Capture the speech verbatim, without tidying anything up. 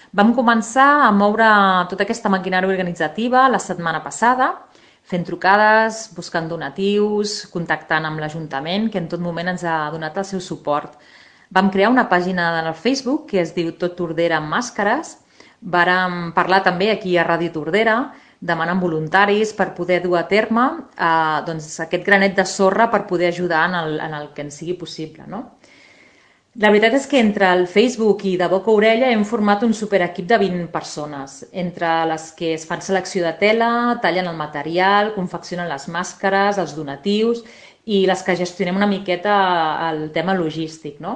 Vam començar a moure tota aquesta maquinària organitzativa la setmana passada, fent trucades, buscant donatius, contactant amb l'Ajuntament, que en tot moment ens ha donat el seu suport. Vam crear una pàgina al Facebook que es diu Tot Tordera amb màscares. Vàrem parlar també aquí a Ràdio Tordera, demanant voluntaris per poder dur a terme eh, doncs, aquest granet de sorra per poder ajudar en el, en el que ens sigui possible, no? La veritat és que entre el Facebook i de boca a orella hem format un superequip de vint persones, entre les que es fan selecció de tela, tallen el material, confeccionen les màscares, els donatius i les que gestionem una miqueta el tema logístic, no?